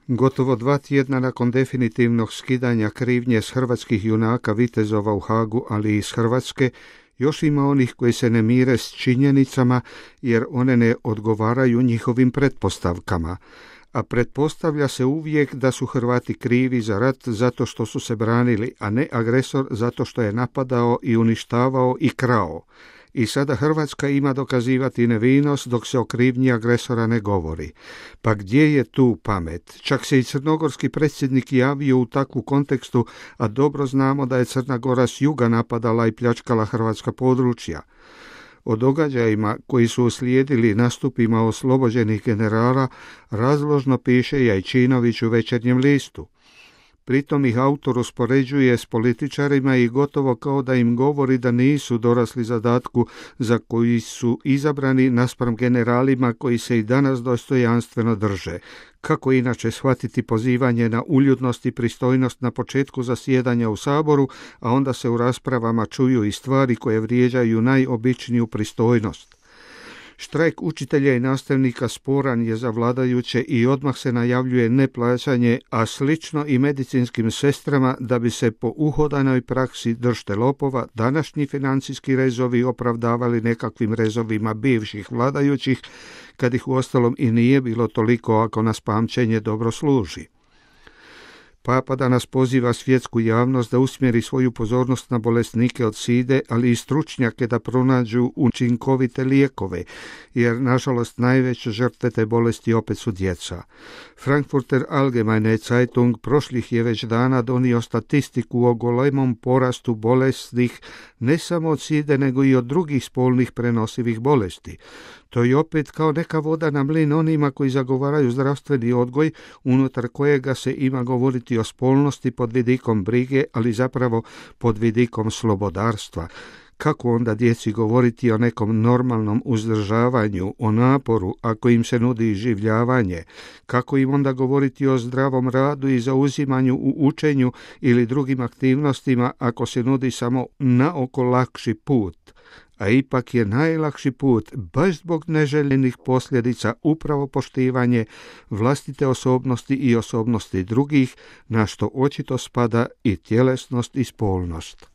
Gotovo 2 tjedna nakon definitivnog skidanja krivnje s hrvatskih junaka vitezova u Hagu, ali i iz Hrvatske, još ima onih koji se ne mire s činjenicama jer one ne odgovaraju njihovim pretpostavkama. A pretpostavlja se uvijek da su Hrvati krivi za rat zato što su se branili, a ne agresor zato što je napadao i uništavao i krao. I sada Hrvatska ima dokazivati nevinost dok se o krivnji agresora ne govori. Pa gdje je tu pamet? Čak se i crnogorski predsjednik javio u takvu kontekstu, a dobro znamo da je Crna Gora s juga napadala i pljačkala hrvatska područja. O događajima koji su uslijedili nastupima oslobođenih generala razložno piše Jajčinović u Večernjem listu. Pritom ih autor uspoređuje s političarima i gotovo kao da im govori da nisu dorasli zadatku za koji su izabrani naspram generalima koji se i danas dostojanstveno drže. Kako inače shvatiti pozivanje na uljudnost i pristojnost na početku zasjedanja u Saboru, a onda se u raspravama čuju i stvari koje vrijeđaju najobičniju pristojnost. Štrajk učitelja i nastavnika sporan je za vladajuće i odmah se najavljuje neplaćanje, a slično i medicinskim sestrama da bi se po uhodanoj praksi držte lopova današnji financijski rezovi opravdavali nekakvim rezovima bivših vladajućih, kad ih uostalom i nije bilo toliko ako nas pamćenje dobro služi. Papa danas poziva svjetsku javnost da usmjeri svoju pozornost na bolesnike od side, ali i stručnjake da pronađu učinkovite lijekove, jer nažalost najveće žrtve te bolesti opet su djeca. Frankfurter Allgemeine Zeitung prošlih je već dana donio statistiku o golemom porastu bolesnih ne samo od side nego i od drugih spolnih prenosivih bolesti. To je opet kao neka voda na mlin onima koji zagovaraju zdravstveni odgoj, unutar kojega se ima govoriti o spolnosti pod vidikom brige, ali zapravo pod vidikom slobodarstva. Kako onda djeci govoriti o nekom normalnom uzdržavanju, o naporu, ako im se nudi iživljavanje? Kako im onda govoriti o zdravom radu i zauzimanju u učenju ili drugim aktivnostima ako se nudi samo naoko lakši put? A ipak je najlakši put, baš zbog neželjenih posljedica, upravo poštivanje vlastite osobnosti i osobnosti drugih, na što očito spada i tjelesnost i spolnost.